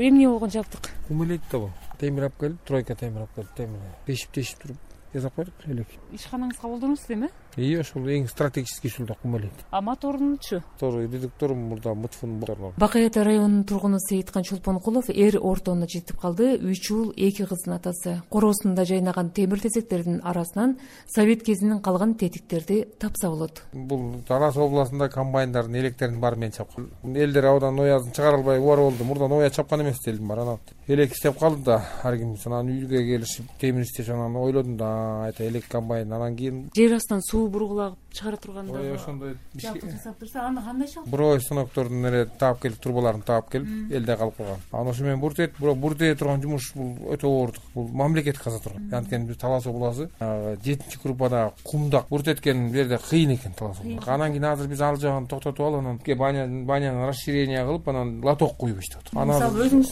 эмне болгон жабдык? Кум элек да бул. Темир алып келип, тройка темир алып келип, темир тешип туруп жасап койдук элек. Ишканаңызга колдоносуз эми? Ошол эң стратегический ушулда кум элек. А моторунчу? Редуктору мурда мутфун. Бакай Ата районунун тургуну Сейиткан Чолпонкулов ордону жетип калды. 3 уул 2 кыздын атасы. Короосунда жайнаган темир тезектердин арасынан совет кезинин калган тетиктерди тапса болот. Бул Тараз областында комбайндардын электерин баары мен чапкан. Элдер абдан оязын чыгара албай убар болду. Мурдан оя чапкан эмес элдин бар. Анан элек иштеп калды да, ар ким анан үйгө келишип темир иштешип анан ойлодум да, айта элек комбайн. Анан кийин жер астынан суу бургулагып чыгара турганда ошондой жасап турса, аны кандай чалып? Буровой станоктордун таап келип, трубаларын таап келип, элде калып калган. Анан ошо менен бурт этип, бирок бурт эте турган жумуш бул өтө оордук. Бул мамлекет каза турган. Анткени биз Талас областы 7-чи группада кумдак бурт эткен жерде кыйын экен Талас областы. Анан кийин азыр биз ал жагын токтотуп алып, анан баняны расширение кылып, анан лоток куюп иштеп атат. Мисалы өзүңүз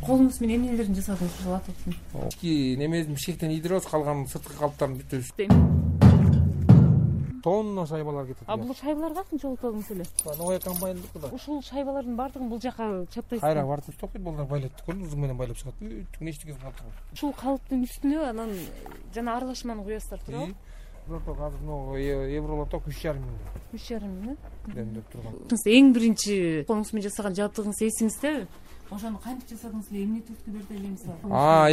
колуңуз менен эмнелерин жасадыңыз ушул лотоктун? Немедин бишектен идироз калган сырткы калыптарын бүтөбүз. Тонна шайбалар кетет. А бул шайбалар качанча болуп калдыңыз эле? Новая комбайндыкы да. Ушул шайбалардын баардыгын бул жака чаппайсызбы? Кайра бартып токойт, булар байлап турган, узун менен байлап чыгат. Бүттүк эчтеке калып. Ушул калыптын үстүнө анан жана аралашманы куясыздар, туурабы? Лоток азыр могу евролоток 3,5 миң. 3,5 миң? Демдеп турган. Эң биринчи колуңуз менен жасаган жабдыгыңыз эсиңиздеби? Ошону кантип жасадыңыз эле, эмне түрткү берди эле мисалы?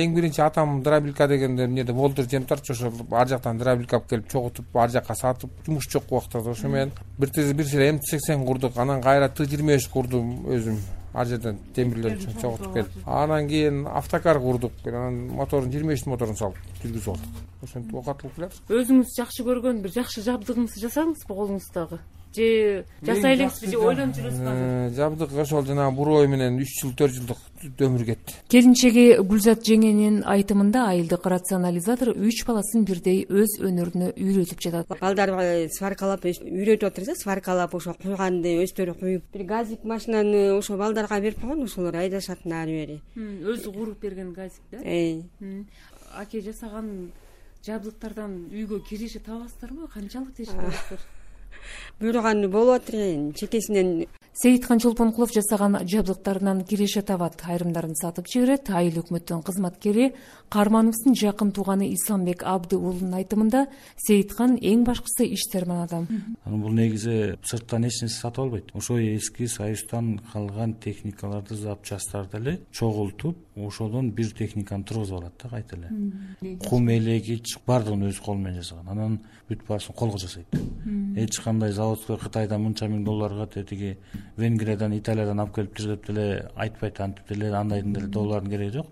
Эң биринчи атам дробилка дегенде эмнеде болдур жемтарчы, ошо ар жактан дробилка алып келип чогутуп, ар жакка сатып, жумуш жок убактарда ошо менен бир силе М80 курдук, анан кайра Т25 курдум өзүм. Ар жерден темирлер үчүн чогутуп келип. Анан кийин автокар курдук. Анан моторун 23 моторун салып жүргүзүп алдык. Ошентип окатылып келатыр. Өзүңүз жакшы көргөн бир жакшы жабдыгыңызды жасадыңызбы колуңуздагы? Же жасай элеңизби, же ойлонуп жүрөсүзбү азыр? Жабдык ошол жана буровой менен 3 жыл 4 жылдык өмүр кетти. Келинчеги Гүлзат жеңенин айтымында айылдык рационализатор 3 баласын бирдей өз өнөрүнө үйрөтүп жатат. Балдар сваркалап үйрөтүп отурса, сваркалап ошо куйганды өздөрү куюп, бир газик машинаны ошо балдарга берип койгон, ошолор айдашат ары бери. Өзү куруп берген газик да? Аке жасаган жабдыктардан үйгө киреше табасыздарбы? Канчалык тешип табасыздар? Буйруганы болуп атыр, чекесинен. Сейиткан Чолпонкулов жасаган жабдыктарынан киреше табат, айрымдарын сатып жиберет. Айыл өкмөттүн кызматкери Кармановдун жакын тууганы Исламбек Абды уулунун айтымында Сейиткан эң башкысы иштерман адам. Бул негизи сырттан эч нерсе сатып албайт. Ошо эски Союздан калган техникаларды, запчасттарды эле чогултуп, ошодон бир техниканы тургузуп алат да кайта эле. Кум элеги баардыгын өзү колу менен жасаган. Анан бүт баасын колго жасайт. Эч кандай заводской Кытайдан мынча миң долларга, тетиги Венгриядан, Италиядан алып келип деп деле айтпайт, антип деле андайдын деле доллардын кереги жок.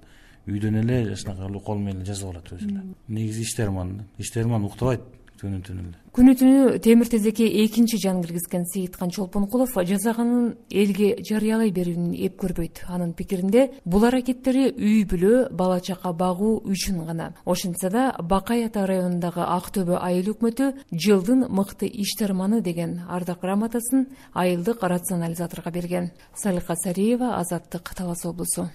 Үйдөн эле жашнакай кол менен жасап алат өзү эле. Негизи иштерман уктабайт түнү эле. Күнү түнү темир тезекке экинчи жан киргизген Сейиткан Чолпонкулов жазаганын элге жарыялай берүүнүн эп көрбөйт. Анын пикиринде бул аракеттери үй бүлө, бала чака багуу үчүн гана. Ошентсе да Бакай Ата районундагы Ак-Төбө айыл өкмөтү жылдын мыкты иштерманы деген ардак грамотасын айылдык рационализаторго берген. Салика Сариева, Азаттык, Талас облусу.